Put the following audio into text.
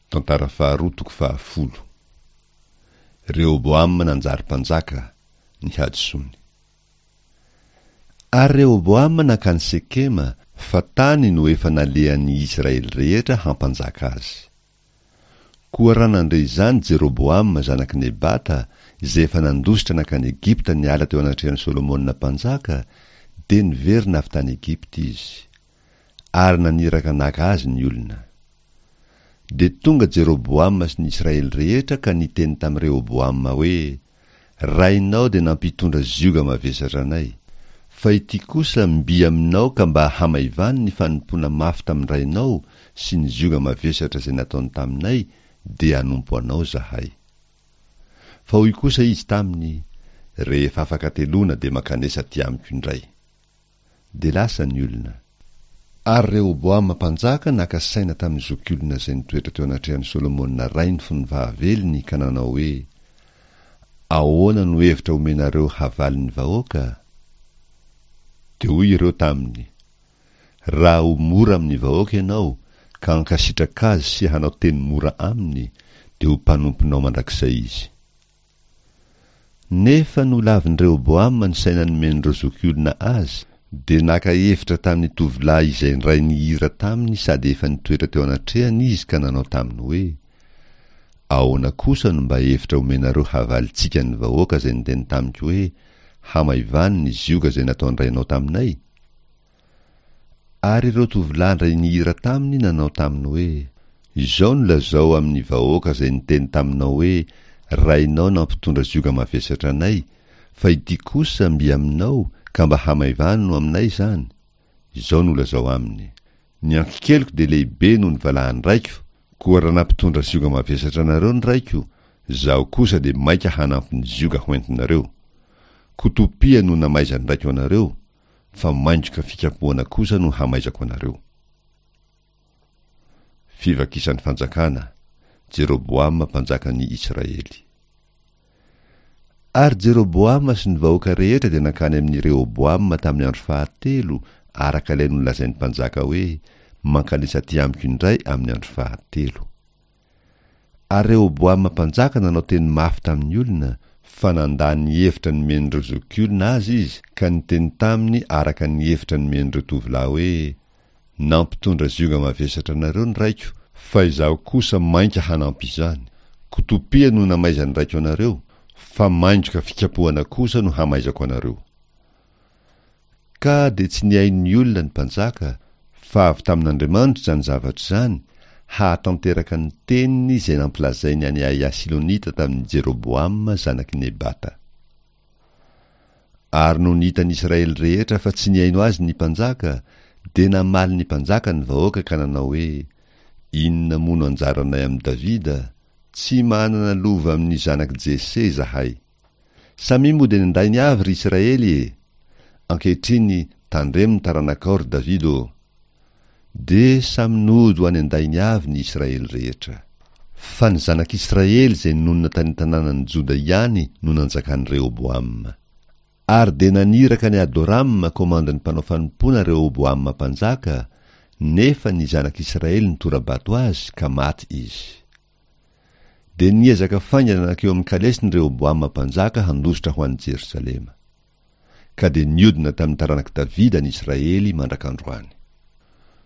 Tantara faharoa toko fahafolo. Rehoboama nanjary mpanjaka, ny hadisoany. Ary Rehoboama nankany Sekema, fa tany no efa nalehan'ny Israely rehetra hampanjaka azy. Koa raha nandre izany Jeroboama zanak'i Nebata, izay efa nandositra nankany Egypta niala teo anatrehan'i Solomona mpanjaka, dia niverina avy tany Egypta izy. Ary naniraka naka azy ny olona. Dia tonga Jeroboama sy ny Israely rehetra ka niteny tamin'i Rehoboama hoe, Rainao dia nampitondra zioga mavesatra anay. Fa ity kosa mby aminao ka mba hamaivano ny fanompoana mafy tamin-drainao sy ny zioga mavesatra izay nataony taminay, dia hanompo anao izahay. Fa hoy kosa izy taminy, Rehefa afaka hateloana dia mankanesa aty amiko indray. Dia lasa ny olona. Ary Rehoboama mpanjaka naka saina tamin'ny zokiolona izay nitoetra teo anatrehan'i Solomona rainy fony fahavelony ka nanao hoe, Ahoana no hevitra omenareo havalin'ny vahoaka? Dia hoy ireo taminy, Raha ho mora amin'ny vahoaka ianao, ka hankasitraka azy sy hanao teny mora aminy, dia ho mpanomponao mandrakizay izy. Nefa nolavin'i Rehoboama ny saina nomen'ireo zokiolona azy, dia naka hevitra tamin'ny tovolahy izay indray nihira taminy sady efa nitoetra teo anatrehany izy ka nanao taminy hoe, Ahoana kosa no mba hevitra omenareo havalintsika ny vahoaka izay niteny tamiko hoe, Hamaivano ny zioga izay nataon-drainao taminay? Ary ireo tovolahy indray nihira taminy nanao taminy hoe, Izao no lazao amin'ny vahoaka izay niteny taminao hoe, Rainao nampitondra zioga mavesatra anay, fa ity kosa mby aminao, ka mba hamaivano aminay izany. Izao no lazao aminy, Ny ankikeliko dia lehibe noho ny valahan-draiko, koa raha nampitondra zioga mavesatra anareo ny raiko, izaho kosa dia maika hanampy ny zioga hoentinareo. Kotopia no namaizan'ny raiko anareo, fa maingoka fikapohana kosa no hamaizako anareo. Fivakisan'ny fanjakana, Jeroboama mpanjakan'ny Israely. Ary Jeroboama sy ny vahoaka rehetra dia nankany amin'i Rehoboama tamin'ny andro fahatelo, araka ilay nolazain'ny mpanjaka hoe, Mankanesa aty amiko indray amin'ny andro fahatelo. Ary Rehoboama mpanjaka nanao teny mafy tamin'ny olona, fa nandà ny hevitra nomen'ireo zokiolona azy izy ka niteny taminy araka ny hevitra nomen'ireo tovolahy hoe, Nampitondra zioga mavesatra anareo ny raiko, fa izaho kosa mainka hanampy izany. Kotopia no namaizan'ny raiko anareo, fa maingoka fikapohana kosa no hamaizako anareo. Ka dia tsy nihaino ny olona ny mpanjaka, fa avy tamin'Andriamanitra izany zavatra izany, hahatanteraka ny teniny izay nampilazainy an'i Ahia Silonita tamin'i Jeroboama zanak'i Nebata. Ary nony hitan'ny Israely rehetra fa tsy nihaino azy ny mpanjaka, dia namaly ny mpanjaka ny vahoaka ka nanao hoe, Inona moa no anjaranay amin'i Davida? Tsy manana lova amin'ny zanak'i Jese izahay. Samia mody any an-dainy avy, ry Israely e! Ankehitriny, tandremo ny taranakao, ry Davida ô! Dia samy nody ho any an-dainy avy ny Israely rehetra. Fa ny zanak'Israely izay nonina tany an-tanànan'i Joda ihany no nanjakan'i Rehoboama. Ary dia naniraka an'i Adorama komandin'ny mpanao fanompoana Rehoboama mpanjaka, nefa ny zanak'Israely nitora-bato azy, ka maty izy. Dia niezaka faingana nankeo amin'ny kalesiny Rehoboama mpanjaka handositra ho any Jerosalema. Ka dia niodina tamin'ny taranak'i Davida ny Israely mandrak'androany.